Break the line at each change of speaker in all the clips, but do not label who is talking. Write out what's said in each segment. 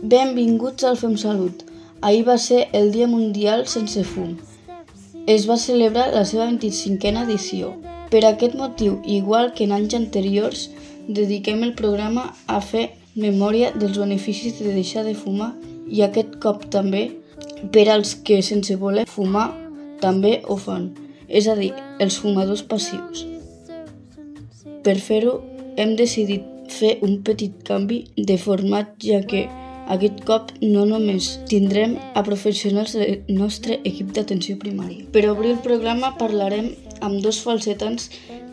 Benvinguts al Fem Salut. Ahir va ser el Dia Mundial Sense Fum. Es va celebrar la seva 25a edició. Per aquest motiu, igual que en anys anteriors, dediquem el programa a fer memòria dels beneficis de deixar de fumar i aquest cop també per als que sense voler fumar també ho fan, és a dir, els fumadors passius. Per fer-ho, hem decidit fer un petit canvi de format, ja que aquest cop no només tindrem a professionals del nostre equip d'atenció primària. Per obrir el programa parlarem amb dos falsetans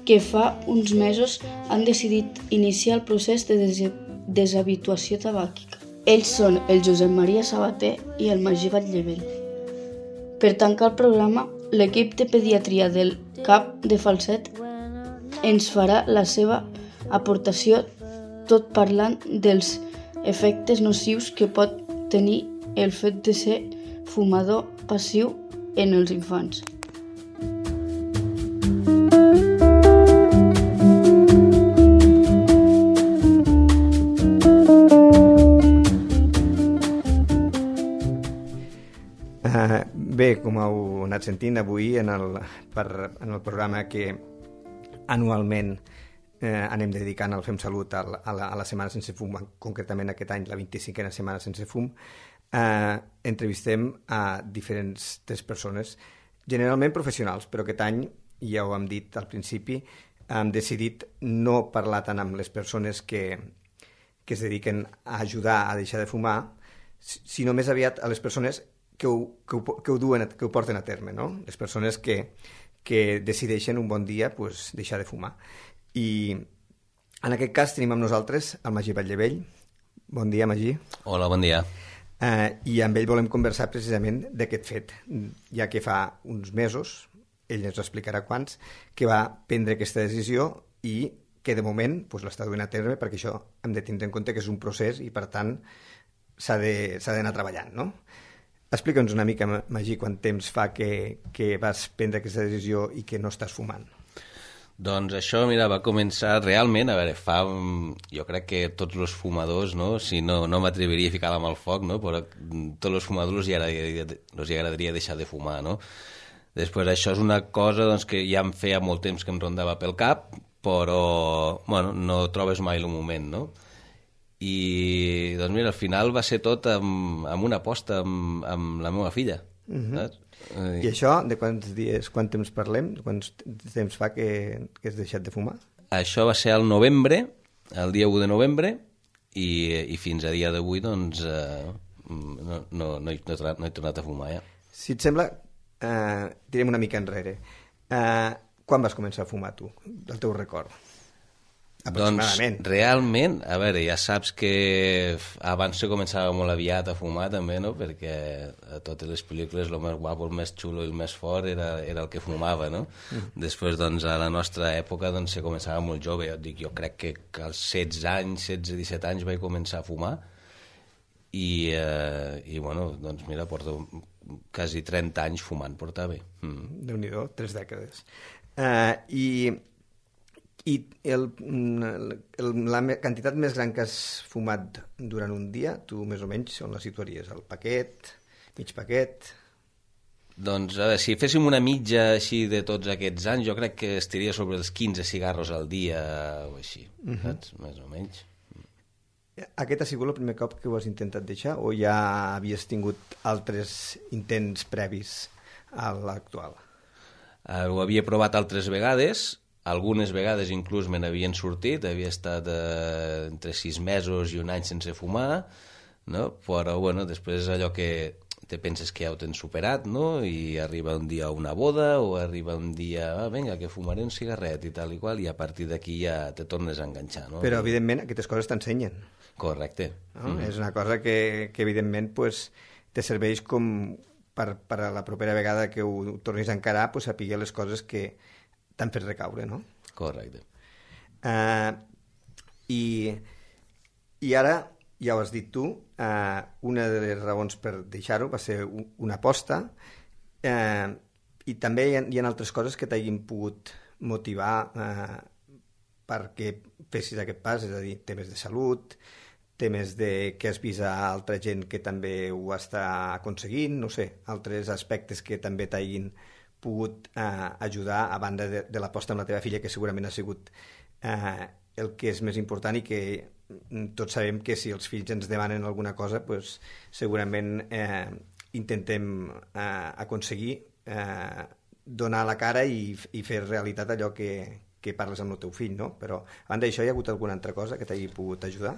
que fa uns mesos han decidit iniciar el procés de deshabituació tabàquica. Ells són el Josep Maria Sabater i el Magí Batllevell. Per tancar el programa, l'equip de pediatria del CAP de Falset ens farà la seva aportació, tot parlant dels efectes nocius que pot tenir el fet de ser fumador passiu en els infants.
Bé, com heu anat sentint avui en el programa que anualment anem dedicant al Fem Salut a la Setmana Sense Fum, concretament aquest any la 25a Setmana Sense Fum, entrevistem a diferents persones, generalment professionals, però aquest any, ja ho hem dit al principi, hem decidit no parlar tant amb les persones que es dediquen a ajudar a deixar de fumar, sinó més aviat a les persones que ho porten a terme, no? Les persones que decideixen un bon dia deixar de fumar. I en aquest cas tenim amb nosaltres el Magí Batllevell. Bon dia, Magí.
Hola, bon dia.
I amb ell volem conversar precisament d'aquest fet, ja que fa uns mesos, ell ens explicarà quants, que va prendre aquesta decisió i que de moment l'està duent a terme, perquè això hem de tindre en compte que és un procés i per tant s'ha d'anar treballant, no? Explica'ns una mica, Magí, quant temps fa que vas prendre aquesta decisió i que no estàs fumant.
Doncs això, mira, va començar realment, a veure, jo crec que tots els fumadors, no? Si no m'atreviria a ficar la mà al foc, no? Però tots els fumadors els agradaria deixar de fumar, no? Després això és una cosa que ja em feia molt temps que em rondava pel cap, però bueno, no trobes mai el moment, no? I doncs mira, al final va ser tot amb una aposta amb la meva filla. Saps?
I això, de quant temps parlem? Quant temps fa que has deixat de fumar?
Això va ser el novembre, el dia 1 de novembre, i fins a dia d'avui doncs no he tornat a fumar ja.
Si et sembla, tirem una mica enrere. Quan vas començar a fumar tu, del teu record?
Doncs realment, a veure, ja saps que abans se començava molt aviat a fumar també, no? Perquè a totes les pel·lícules el més guapo, el més xulo i el més fort era el que fumava, no? Després, doncs, a la nostra època se començava molt jove. Jo crec que als 16 anys, 16-17 anys vaig començar a fumar i bueno, doncs mira, porto quasi 30 anys fumant, portava bé.
Déu-n'hi-do, 3 dècades. I la quantitat més gran que has fumat durant un dia, tu més o menys on la situaries? El paquet, mig paquet?
Doncs a veure, si féssim una mitja així de tots aquests anys, jo crec que estaria sobre els 15 cigarros al dia o així, saps? Més o menys.
Aquest ha sigut el primer cop que ho has intentat deixar o ja havies tingut altres intents previs a l'actual?
Ho havia provat altres vegades. Algunes vegades inclús me n'havien sortit, havia estat entre 6 mesos i un any sense fumar, no? Però bueno, després és allò que te penses que ja ho tens superat, no? I arriba un dia una boda o arriba un dia, vinga, que fumaré un cigarret i tal i qual, i a partir d'aquí ja te tornes a enganxar, no?
Però evidentment aquestes coses t'ensenyen.
Correcte.
No? És una cosa que evidentment te serveix com per a la propera vegada que ho tornis a encarar, saber les coses que t'han fet recaure, no?
Correcte.
I ara, ja ho has dit tu, una de les raons per deixar-ho va ser una aposta, i també hi ha altres coses que t'hagin pogut motivar perquè fessis aquest pas, és a dir, temes de salut, temes de que has vist a altra gent que també ho està aconseguint, no sé, altres aspectes que també t'hagin pogut ajudar a banda de l'aposta amb la teva filla, que segurament ha sigut el que és més important, i que tots sabem que si els fills ens demanen alguna cosa, pues, segurament intentem aconseguir donar la cara i fer realitat allò que parles amb el teu fill, no? Però a banda d'això, hi ha hagut alguna altra cosa que t'hagi pogut ajudar?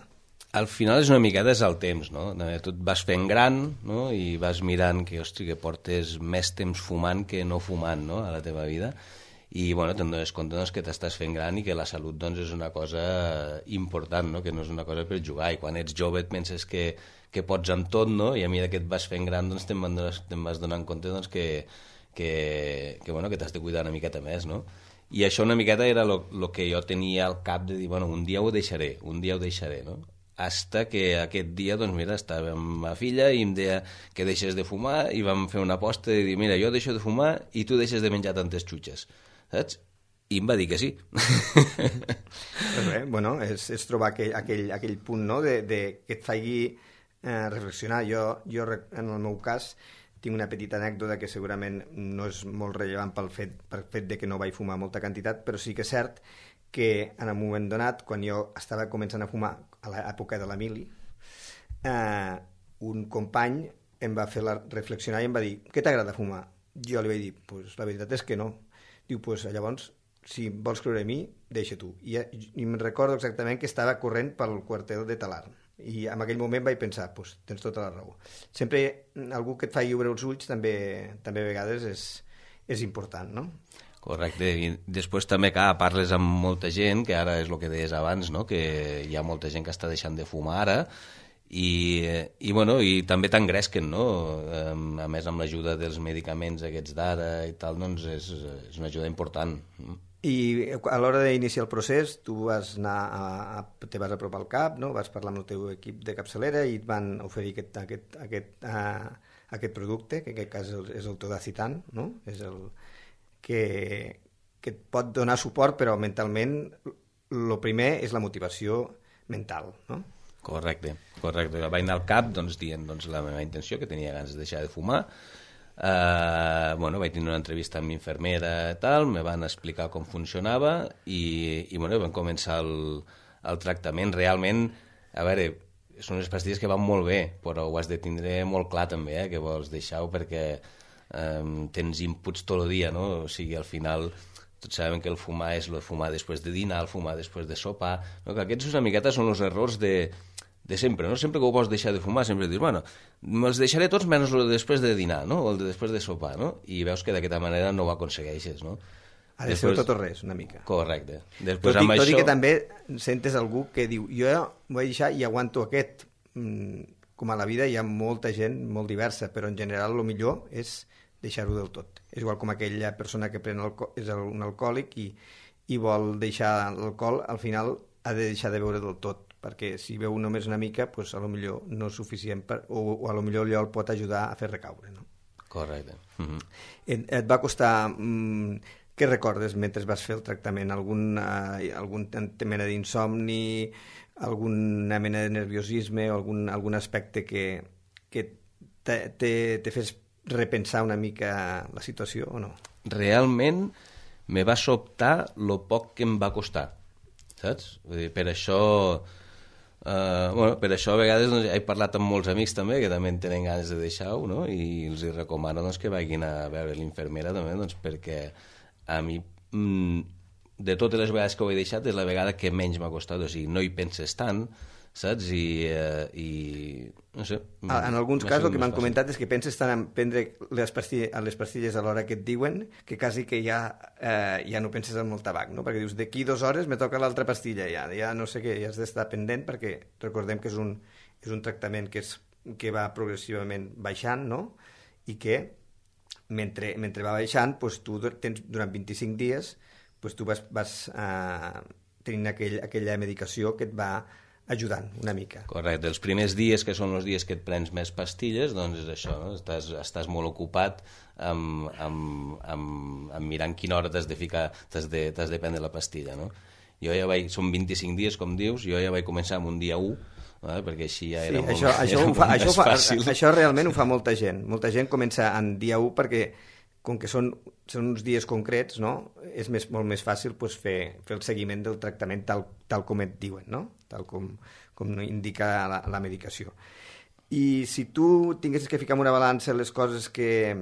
Al final és una miqueta el temps, no? Tu et vas fent gran, no? I vas mirant que, que portes més temps fumant que no fumant, no? A la teva vida, i bueno, te'n dones compte que t'estàs fent gran i que la salut és una cosa important, no? Que no és una cosa per jugar, i quan ets jove et penses que pots amb tot, no? I a mesura que et vas fent gran te'n vas donant compte que t'has de cuidar una miqueta més, no? I això una miqueta era el que jo tenia al cap de dir, bueno, un dia ho deixaré, no? Hasta que aquest dia, doncs mira, estava amb ma filla i em deia que deixes de fumar, i vam fer una aposta de dir, mira, jo deixo de fumar i tu deixes de menjar tantes xutxes, saps? I em va dir que sí.
Pues bé, bueno, és trobar aquell punt, no?, que et faci reflexionar. Jo, en el meu cas, tinc una petita anècdota que segurament no és molt rellevant pel fet de que no vaig fumar molta quantitat, però sí que és cert que en un moment donat, quan jo estava començant a fumar a l'època de la mili, un company em va fer reflexionar i em va dir, què t'agrada fumar? Jo li vaig dir, pues la veritat és que no. Diu, pues llavors, si vols creure en mi, deixa tu. I em recordo exactament que estava corrent pel quartel de Talarn, i en aquell moment vaig pensar, pues tens tota la raó. Sempre algú que et fa lliure els ulls també a vegades és important, no?
Correcte, i després també, clar, parles amb molta gent, que ara és el que deies abans, no? Que hi ha molta gent que està deixant de fumar ara, i també t'engresquen, no? A més, amb l'ajuda dels medicaments aquests d'ara i tal, doncs és una ajuda important.
I a l'hora d'iniciar el procés, tu vas te vas apropar al CAP, no? Vas parlar amb el teu equip de capçalera i et van oferir aquest producte, que en aquest cas és el Todacitan, no? És el que et pot donar suport, però mentalment el primer és la motivació mental, no?
Correcte. Vaig anar al CAP dient la meva intenció, que tenia ganes de deixar de fumar. Vaig tenir una entrevista amb l'infermera i tal, me van explicar com funcionava i vam començar el tractament. Realment, a veure, són unes pastilles que van molt bé, però ho has de tindre molt clar també, que vols deixar-ho, perquè tens inputs tot el dia, no? O sigui, al final tots sabem que el fumar és el fumar després de dinar, el fumar després de sopar, no? Que aquests una miqueta són els errors de sempre, no? Sempre que ho vols deixar de fumar, sempre dius, bueno, me'ls deixaré tots menys el de després de dinar, no? O el de després de sopar, no? I veus que d'aquesta manera no ho aconsegueixes, no?
Ha de ser tot o res, una mica.
Correcte.
Tot i que també sentes algú que diu, jo ho vaig deixar i aguanto aquest. Com a la vida hi ha molta gent molt diversa, però en general el millor és deixar-ho del tot. És igual com aquella persona que és un alcohòlic i vol deixar l'alcohol, al final ha de deixar de beure del tot, perquè si beu només una mica, pues, a lo millor no és suficient, o a lo millor allò el pot ajudar a fer recaure, no?
Correcte.
Et va costar... Què recordes mentre vas fer el tractament? Algun mena d'insomni, alguna mena de nerviosisme, o algun aspecte que te fes repensar una mica la situació o no?
Realment me va sobtar lo poc que em va costar, saps? Vull dir, per això a vegades he parlat amb molts amics també, que també tenen ganes de deixar-ho, no? I els recomano que vagin a veure l'infermera també, perquè a mi, de totes les vegades que ho he deixat, és la vegada que menys m'ha costat, o sigui, no hi penses tant, saps? I no sé...
En alguns casos el que m'han comentat és que penses tant en prendre les pastilles a l'hora que et diuen que quasi que ja no penses en el tabac, no? Perquè dius, d'aquí 2 hores me toca l'altra pastilla, ja no sé què, ja has d'estar pendent, perquè recordem que és un tractament que va progressivament baixant, no? I que mentre va baixant, doncs tu tens durant 25 dies, doncs tu vas tenint aquella medicació que et va ajudant una mica.
Correcte, els primers dies, que són els dies que et prens més pastilles, doncs és això, no? Estàs molt ocupat amb mirant quina hora t'has de ficar, t'has de prendre la pastilla, no? Són 25 dies, com dius, jo ja vaig començar amb un dia 1, perquè així ja
Sí,
era molt,
això
fàcil.
Això realment ho fa molta gent. Molta gent comença en dia 1 perquè, com que són uns dies concrets, no? És molt més fàcil pues, fer el seguiment del tractament tal com et diuen, no? Tal com indica la medicació. I si tu tinguessis que ficar en una balança les coses que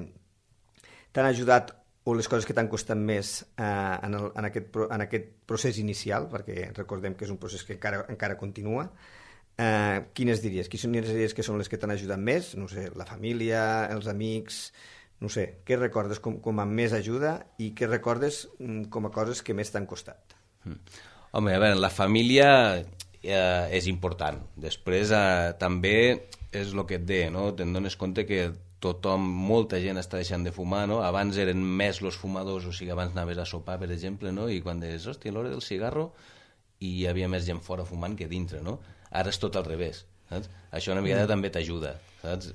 t'han ajudat o les coses que t'han costat més en aquest procés inicial, perquè recordem que és un procés que encara continua, quines diries? Quines diries que són les que t'han ajudat més? No sé, la família, els amics, no sé, què recordes com a més ajuda i què recordes com a coses que més t'han costat?
Home, a veure, la família és important. Després també és el que et deia, no? Te'n dones compte que molta gent està deixant de fumar, no? Abans eren més els fumadors, o sigui, abans anaves a sopar, per exemple, no? I quan deies, hòstia, l'hora del cigarro, i hi havia més gent fora fumant que dintre, no? Ara és tot al revés, saps? Això una mica també t'ajuda, saps?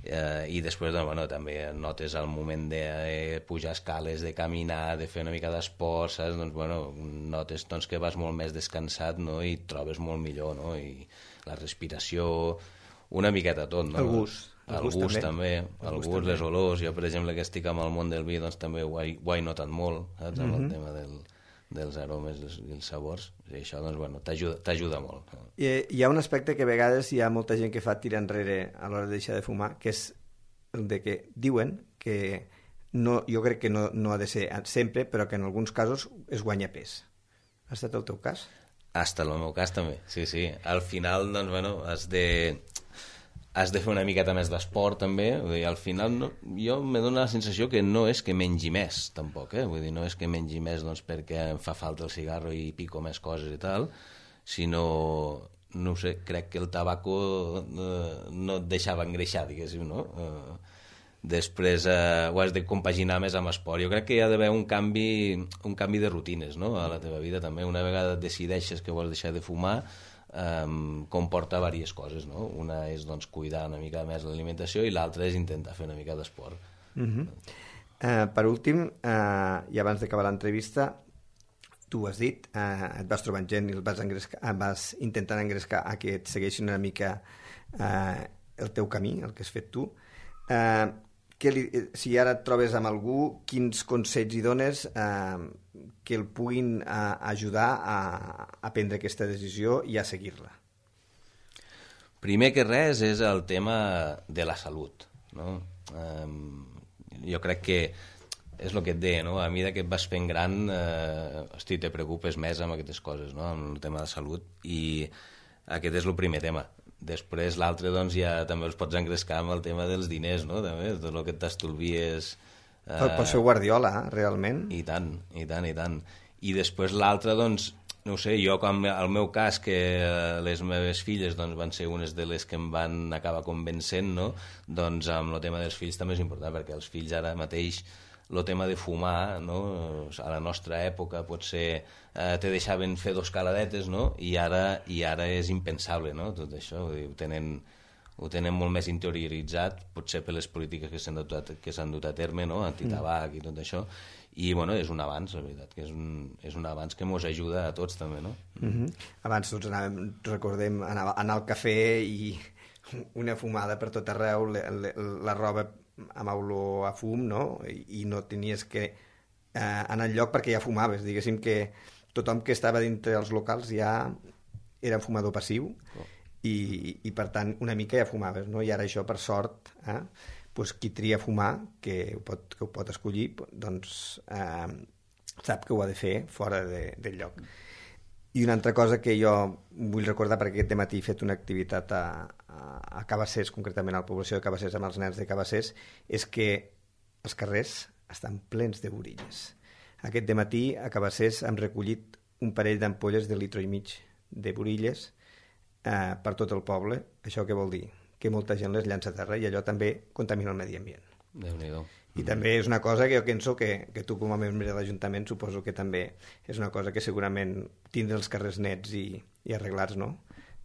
I després, doncs, bueno, també notes el moment de pujar escales, de caminar, de fer una mica d'esport, saps? Doncs, bueno, notes doncs, que vas molt més descansat, no? I et trobes molt millor, no? I la respiració, una miqueta tot, no? El gust també, les olors. Jo, per exemple, que estic amb el món del vi, doncs també ho he notat molt, saps? Amb el tema dels aromes i els sabors. I això, doncs, bueno, t'ajuda molt.
Hi ha un aspecte que a vegades hi ha molta gent que fa tirar enrere a l'hora de deixar de fumar, que és el de que diuen que no, jo crec que no ha de ser sempre, però que en alguns casos es guanya pes. Ha estat el teu cas?
Ha estat el meu cas també, sí. Al final, doncs, bueno, has de fer una miqueta més d'esport també, vull dir, al final jo me dóna la sensació que no és que mengi més tampoc, vull dir, no és que mengi més doncs, perquè em fa falta el cigarro i pico més coses i tal, sinó, no ho sé, crec que el tabaco no et deixava engreixar, diguéssim, no? Després ho has de compaginar més amb esport. Jo crec que hi ha d'haver un canvi de rutines, no? A la teva vida també. Una vegada decideixes que vols deixar de fumar, comporta diverses coses, no? Una és doncs, cuidar una mica més l'alimentació i l'altra és intentar fer una mica d'esport.
Per últim, i abans d'acabar l'entrevista, tu ho has dit, et vas trobant gent i vas intentant engrescar a que et segueixin una mica el teu camí, el que has fet tu. Si ara et trobes amb algú, quins consells hi dones que el puguin ajudar a prendre aquesta decisió i a seguir-la?
Primer que res és el tema de la salut, no? Jo crec que és el que et deia, no? A mesura que et vas fent gran, te preocupes més amb aquestes coses, no? Amb el tema de salut, i aquest és el primer tema. Després l'altre doncs ja també els pots engrescar amb el tema dels diners, no? També, tot el que t'estolvies...
Pots fer Guardiola, realment.
I tant. I després l'altre, doncs, no ho sé, jo com el meu cas, que les meves filles doncs, van ser unes de les que em van acabar convencent, no? Doncs amb el tema dels fills també és important, perquè els fills ara mateix el tema de fumar, no? A la nostra època potser te deixaven fer 2 caladetes, no? I ara és impensable, no? Tot això, vull dir, ho tenen molt més interioritzat, potser per les polítiques que s'han dut a terme, no? Antitabac i tot això, i bueno, és un avanç, la veritat, que és un avanç que ens ajuda a tots també, no?
Abans tots recordem anar al cafè i una fumada per tot arreu, la roba amb olor a fum, no? I no tenies que anar enlloc perquè ja fumaves, diguéssim que tothom que estava dintre els locals ja era fumador passiu i per tant una mica ja fumaves, no? I ara això, per sort, doncs qui tria fumar, que ho pot escollir, doncs sap que ho ha de fer fora del lloc. I una altra cosa que jo vull recordar, perquè aquest dematí he fet una activitat a Cabassers, concretament a la població de Cabassers, amb els nens de Cabassers, és que els carrers estan plens de borilles. Aquest dematí a Cabassers hem recollit un parell d'ampolles de litro i mig de borilles per tot el poble. Això què vol dir? Que molta gent les llança a terra i allò també contamina el medi ambient.
Déu-n'hi-do.
I també és una cosa que jo penso que tu com a membre de l'Ajuntament suposo que també és una cosa que segurament tindre els carrers nets i arreglats, no?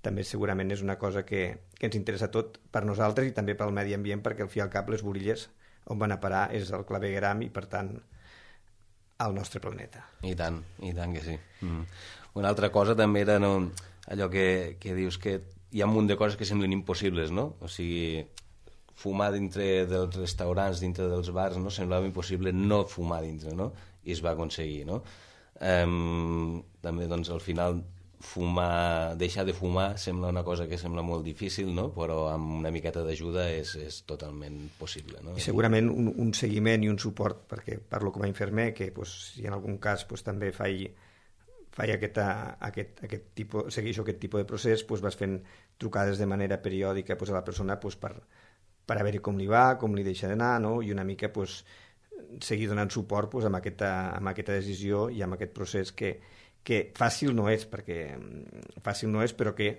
També segurament és una cosa que ens interessa tot per nosaltres i també pel medi ambient, perquè al fi i al cap les borilles on van a parar és el clavegueram i per tant al nostre planeta.
I tant que sí. Una altra cosa també era allò que dius que hi ha un munt de coses que semblen impossibles, no? O sigui, fumar dintre dels restaurants, dintre dels bars, no? Semblava impossible no fumar dintre, no? I es va aconseguir, no? També, doncs, al final, deixar de fumar sembla una cosa que sembla molt difícil, no? Però amb una miqueta d'ajuda és totalment possible, no?
I segurament un seguiment i un suport, perquè parlo com a infermer, que si en algun cas també faig segueixo aquest tipus de procés, vas fent trucades de manera periòdica a la persona per a veure com li va, com li deixa d'anar, no? I una mica seguir donant suport amb aquesta decisió i amb aquest procés que fàcil no és, però que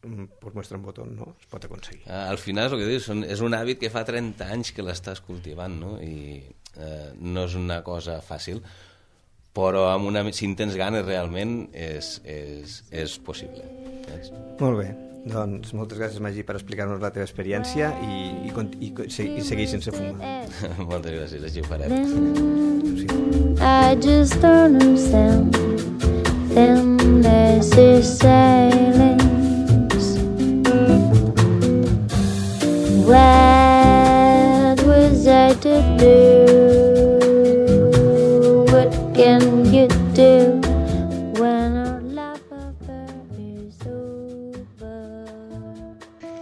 per muestra un botó, no? Es pot aconseguir.
Al final és el que dius, és un hàbit que fa 30 anys que l'estàs cultivant, no? I no és una cosa fàcil, però si en tens ganes realment és possible.
Molt bé, doncs moltes gràcies, Magí, per explicar-nos la teva experiència i seguir sense fumar.
Moltes gràcies, així ho farem.
I just don't understand them lazy sailings. What was I to do? What can you do when our love affair is over?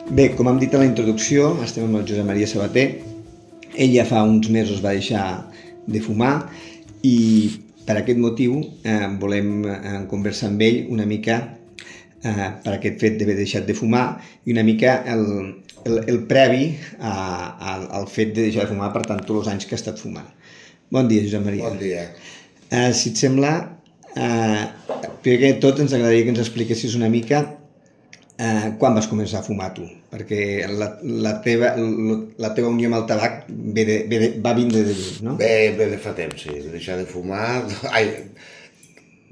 Bé, com hem dit a la introducció, estem amb el Josep Maria Sabater. Ell ja fa uns mesos va deixar de fumar i per aquest motiu volem conversar amb ell una mica per aquest fet d'haver deixat de fumar i una mica el previ al fet de deixar de fumar, per tant, tots els anys que ha estat fumant. Bon dia, Josep Maria.
Bon dia.
Si et sembla, primer que tot ens agradaria que ens expliquessis una mica quan vas començar a fumar tu, perquè la teva unió amb el tabac va vindre de lluny, no?
Ve de fa temps, sí. Deixar de fumar...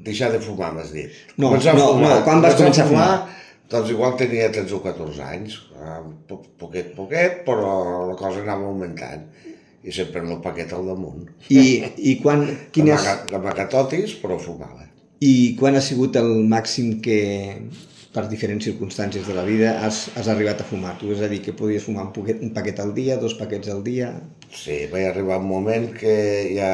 deixar de fumar, m'has dit.
No, quan vas començar a fumar?
Doncs igual tenia 13 o 14 anys, poquet, però la cosa anava augmentant. I sempre amb el paquet al damunt.
I quan...
D'amagatotis, però fumava.
I quan ha sigut el màxim que, per diferents circumstàncies de la vida, has arribat a fumar? Tu és a dir, que podies fumar un paquet al dia, 2 paquets al dia?
Sí, vaig arribar un moment que ja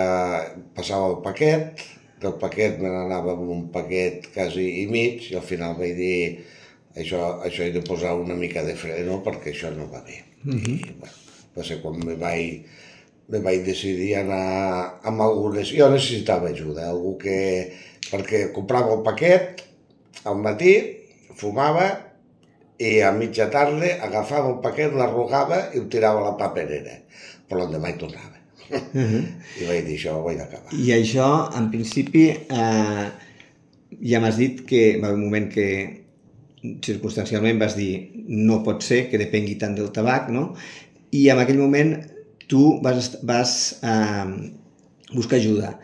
passava el paquet, del paquet me n'anava amb un paquet quasi i mig, i al final vaig dir això he de posar una mica de freno perquè això no va bé. I va ser quan me vaig decidir anar amb algunes... Jo necessitava ajuda, algú perquè comprava el paquet al matí, fumava i a mitja tarda agafava el paquet, l'arrugava i ho tirava a la paperera. Però l'endemà hi tornava. I vaig dir, això ho vaig acabar.
I això, en principi, ja m'has dit que va haver un moment que circumstancialment vas dir no pot ser que depengui tant del tabac, no? I en aquell moment tu vas buscar ajuda.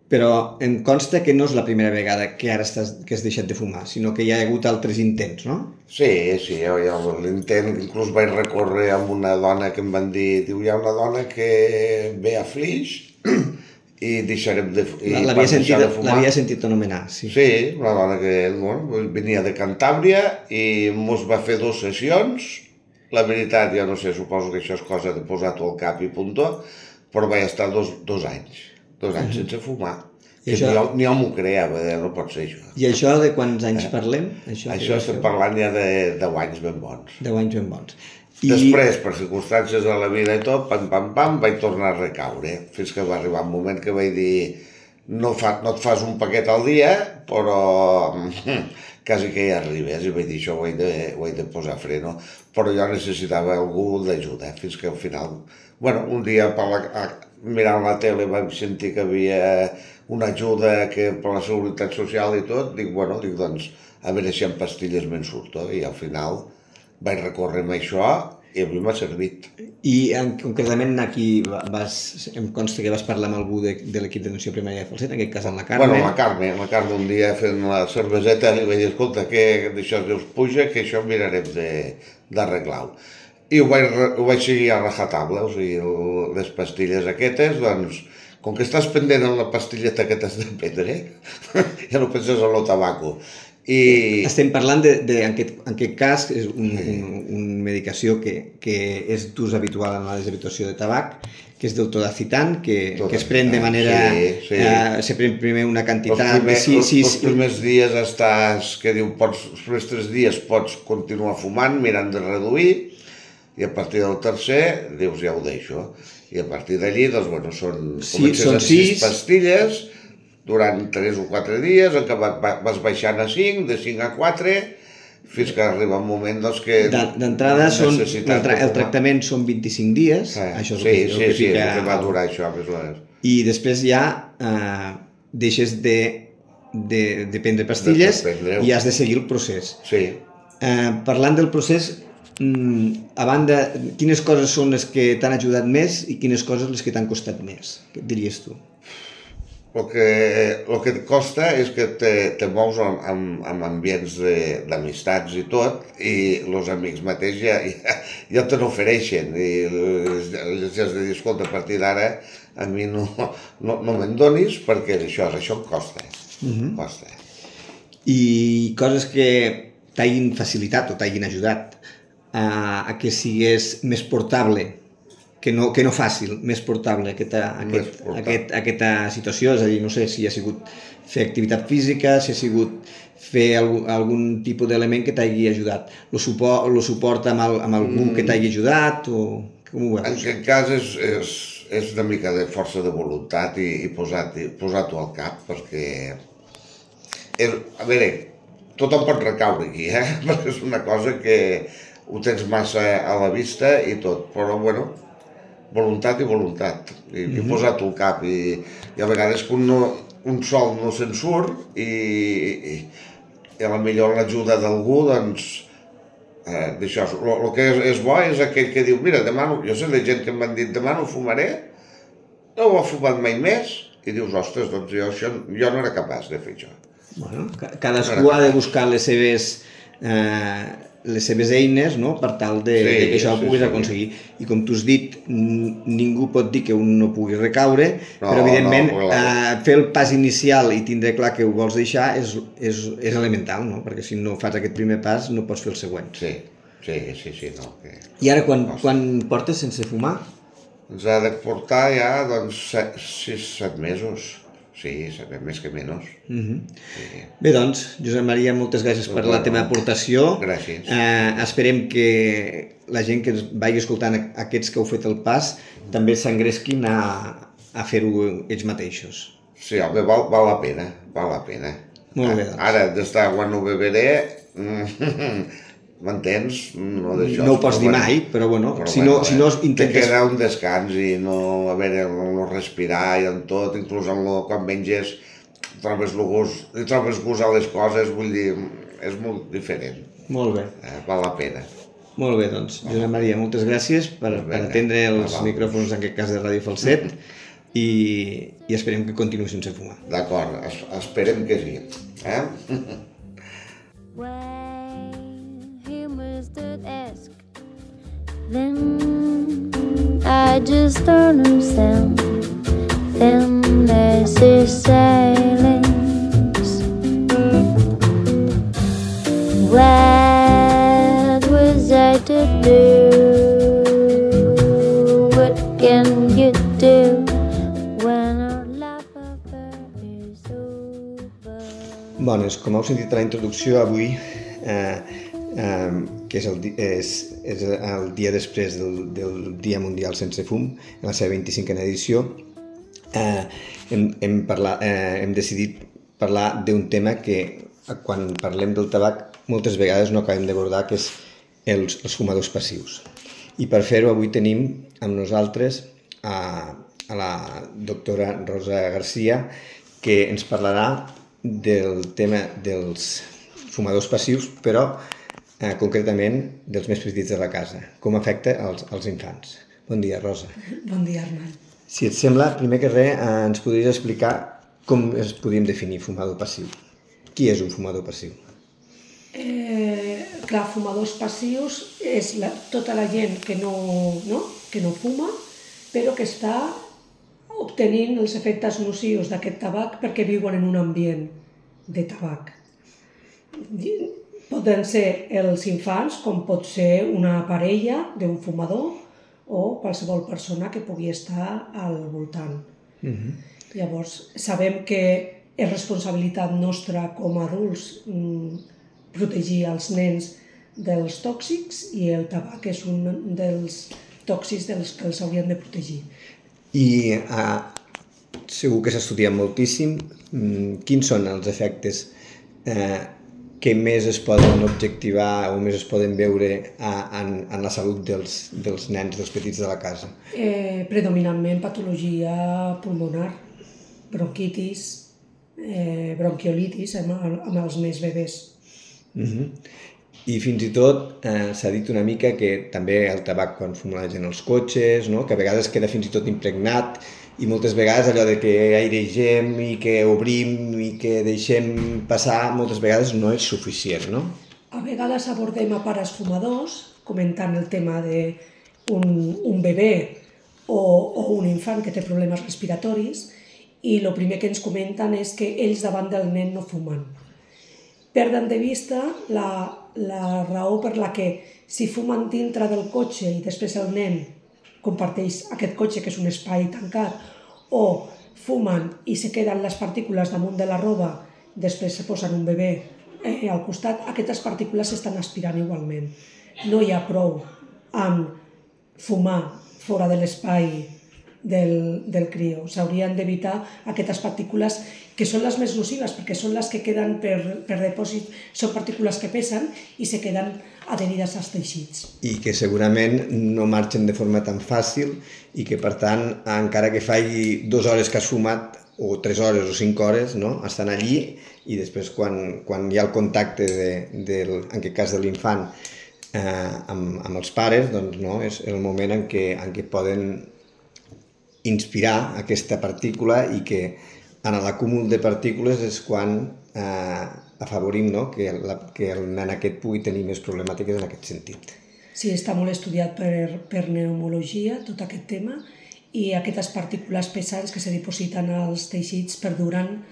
Però em consta que no és la primera vegada que ara que has deixat de fumar, sinó que hi ha hagut altres intents, no?
Sí, l'intent, inclús vaig recórrer amb una dona que em van dir, diu, hi ha una dona que ve a Flix i deixarem de fumar.
L'havia sentit anomenar, sí.
Sí, una dona que venia de Cantàbria i mos va fer 2 sessions. La veritat, ja no sé, suposo que això és cosa de posar-t'ho al cap i puntó, però vaig estar 2 anys. 2 anys sense fumar. Ni jo m'ho creava, no pot ser això.
I això de quants anys parlem?
Això estem parlant ja de 10 anys ben bons.
10 anys ben bons.
Després, per circumstàncies de la vida i tot, pam, vaig tornar a recaure. Fins que va arribar un moment que vaig dir no et fas un paquet al dia, però quasi que hi arribes. I vaig dir això ho he de posar freno. Però jo necessitava algú d'ajuda, fins que al final... un dia mirant la tele vaig sentir que havia una ajuda per la Seguretat Social i tot, dic, doncs, a veure si amb pastilles me'n surto, i al final vaig recórrer amb això i a mi m'ha servit.
I concretament aquí em consta que vas parlar amb algú de l'equip d'atenció primària de Falset, en aquest cas amb la Carme.
La Carme un dia fent la cerveseta li vaig dir, escolta, que d'això us puja, que això mirarem d'arreglar-ho. I ho vaig seguir a rajatabla, o sigui, les pastilles aquestes, doncs, com que estàs pendent en la pastilleta que t'has de prendre, ja no penses en el tabaco.
Estem parlant en aquest cas, és una medicació que és d'ús habitual en la deshabituació de tabac, que és del todacitan, que es pren de manera... Se pren primer una quantitat de 6...
Els primers dies estàs, que diu, els primers 3 dies pots continuar fumant, mirant de reduir, i a partir del tercer dius, ja ho deixo. I a partir d'allí, doncs, bueno, comences amb 6 pastilles, durant 3 o 4 dies, en què vas baixant a 5, de 5 a 4, fins que arriba un moment doncs, que...
D'entrada, el tractament són 25 dies, això és el
que va durar això, més o menys.
I després ja deixes de prendre pastilles i has de seguir el procés.
Sí.
Parlant del procés, a banda, quines coses són les que t'han ajudat més i quines coses les que t'han costat més? Què et diries tu?
El que et costa és que te mous en ambients d'amistats i tot, i els amics mateix ja te n'ofereixen, i els has de dir, escolta, a partir d'ara a mi no me'n donis perquè això em costa. Costa.
I coses que t'hagin facilitat o t'hagin ajudat a que sigués més portable, que no fàcil, més portable aquesta situació, és a dir, no sé si ha sigut fer activitat física, si ha sigut fer algun tipus d'element que t'hagi ajudat, el suport amb algú que t'hagi ajudat, o com ho veus?
En aquest cas és una mica de força de voluntat i posar-t'ho al cap, perquè, a veure, tothom pot recaure aquí, perquè és una cosa que ho tens massa a la vista i tot, però bueno, voluntat i voluntat, i posar-t'ho al cap, i a vegades que un sol no se'n surt i a la millor l'ajuda d'algú, doncs, d'això, el que és bo és aquell que diu, mira, jo sé de gent que m'han dit, demà no fumaré, no ho ha fumat mai més, i dius, ostres, doncs jo no era capaç de fer això.
Bueno, cadascú ha de buscar les seves eines, no?, per tal que això ho puguis aconseguir. I com tu has dit, ningú pot dir que un no pugui recaure, però evidentment fer el pas inicial i tindre clar que ho vols deixar és elemental, no?, perquè si no fas aquest primer pas no pots fer el següent.
Sí, no.
I ara quan portes sense fumar?
Ens ha de portar ja, doncs, 6-7 mesos. Sí, més que menys.
Bé, doncs, Josep Maria, moltes gràcies per la teva aportació.
Gràcies.
Esperem que la gent que ens vagi escoltant, aquests que heu fet el pas, també s'engresquin a fer-ho ells mateixos.
Sí, home, val la pena, val la pena.
Molt bé, doncs.
Ara, d'estar quan no beberé, m'entens? No
ho pots dir mai, però bueno, si no intentes...
Te queda un descans i no respirar i en tot, inclús quan menges trobes gust a les coses, vull dir, és molt diferent.
Molt bé.
Val la pena.
Molt bé, doncs, Josep Maria, moltes gràcies per atendre els micròfons, en aquest cas de Ràdio Falset, i esperem que continuï sense fumar.
D'acord, esperem que sí.
Then I just don't understand. Then there's this silence. What was I to do? What can you do when our love affair is over?
Bones, com heu sentit a la introducció, avui que és el dia després del Dia Mundial Sense Fum, en la seva 25a edició, hem decidit parlar d'un tema que, quan parlem del tabac, moltes vegades no acabem d'abordar, que és els fumadors passius. I per fer-ho avui tenim amb nosaltres a la doctora Rosa Garcia, que ens parlarà del tema dels fumadors passius, però concretament dels més petits de la casa, com afecta als infants. Bon dia, Rosa.
Bon dia, Armand.
Si et sembla, primer que res, ens podries explicar com es podríem definir fumador passiu. Qui és un fumador passiu?
Clar, fumadors passius és tota la gent que no fuma, però que està obtenint els efectes nocius d'aquest tabac perquè viuen en un ambient de tabac. Poden ser els infants, com pot ser una parella d'un fumador o qualsevol persona que pugui estar al voltant. Llavors, sabem que és responsabilitat nostra com a adults protegir els nens dels tòxics i el tabac és un dels tòxics dels que els haurien de protegir.
I segur que s'ha estudiat moltíssim. Quins són els efectes que més es poden objectivar o més es poden veure en la salut dels nens, dels petits de la casa?
Predominantment patologia pulmonar, bronquitis, bronquiolitis amb els més bebès.
I fins i tot s'ha dit una mica que també el tabac quan fuma la gent als cotxes, no? Que a vegades queda fins i tot impregnat i moltes vegades allò de que airegem i que obrim i que deixem passar, moltes vegades no és suficient, no?
A vegades abordem a pares fumadors comentant el tema d'un bebè o un infant que té problemes respiratoris i el primer que ens comenten és que ells davant del nen no fumen. Perden de vista la raó per la que si fumen dintre del cotxe i després el nen comparteix aquest cotxe que és un espai tancat o fumen i se queden les partícules damunt de la roba, després se posen un bebè al costat, aquestes partícules s'estan aspirant igualment. No hi ha prou amb fumar fora de l'espai del crió. S'haurien d'evitar aquestes partícules que són les més nocives perquè són les que queden per depòsit, són partícules que pesen i se queden adherides als teixits.
I que segurament no marxen de forma tan fàcil i que, per tant, encara que faci 2 hores que has fumat, o 3 hores o 5 hores, no? Estan allí i després quan hi ha el contacte, en aquest cas de l'infant, amb els pares, doncs no, és el moment en què poden inspirar aquesta partícula i que en l'acúmul de partícules és quan afavorim, no? que el nen aquest pugui tenir més problemàtiques en aquest sentit.
Sí, està molt estudiat per pneumologia, tot aquest tema, i aquestes partícules pesants que se dipositen als teixits perduren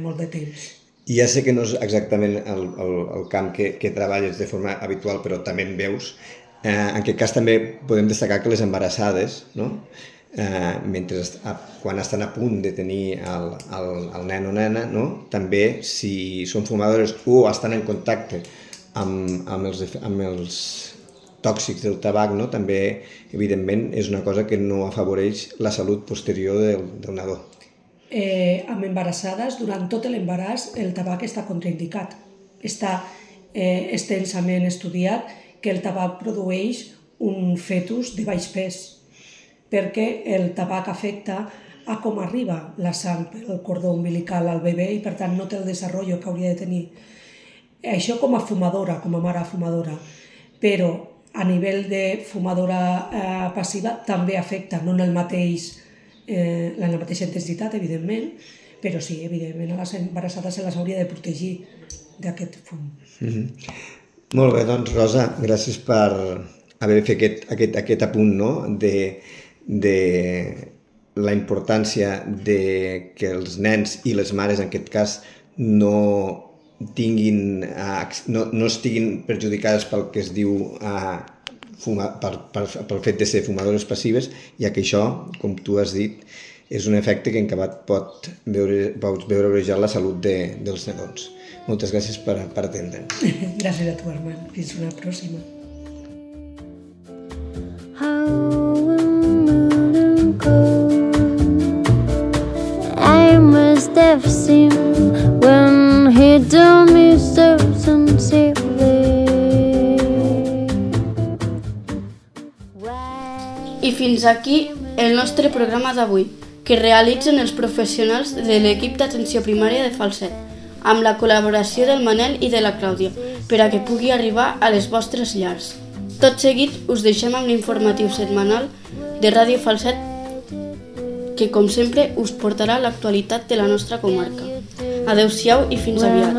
molt de temps.
I ja sé que no és exactament el camp que treballes de forma habitual, però també en veus. En aquest cas també podem destacar que les embarassades, no? Quan estan a punt de tenir el nen o nena, no? També si són fumadores o estan en contacte amb els tòxics del tabac, no? També evidentment és una cosa que no afavoreix la salut posterior del nadó.
Amb embarassades, durant tot l'embaràs el tabac està contraindicat. Està extensament estudiat que el tabac produeix un fetus de baix pes, perquè el tabac afecta a com arriba la sang pel cordó umbilical al bebè i per tant no té el desenvolupament que hauria de tenir. Això com a fumadora, com a mare fumadora, però a nivell de fumadora passiva també afecta, no en la mateixa intensitat, evidentment, però sí, evidentment, a les embarassades se les hauria de protegir d'aquest fum.
Molt bé, doncs Rosa, gràcies per haver fet aquest apunt, no? de la importància de que els nens i les mares, en aquest cas, no estiguin perjudicades pel que es diu pel fet de ser fumadores passives, ja que això, com tu has dit, és un efecte que en acabat pots veure obrejat la salut dels nadons. Moltes gràcies per atendre'ns.
Gràcies a tu, Armand. Fins una pròxima.
I must have seen when he told me so sincerely.
I fins aquí el nostre programa d'avui, que realitzen els professionals de l'equip d'atenció primària de Falset, amb la col·laboració del Manel i de la Clàudia, per a que pugui arribar a les vostres llars. Tot seguit us deixem amb l'informatiu setmanal de Ràdio Falset, que com sempre us portarà l'actualitat de la nostra comarca. Adeu-siau i fins aviat.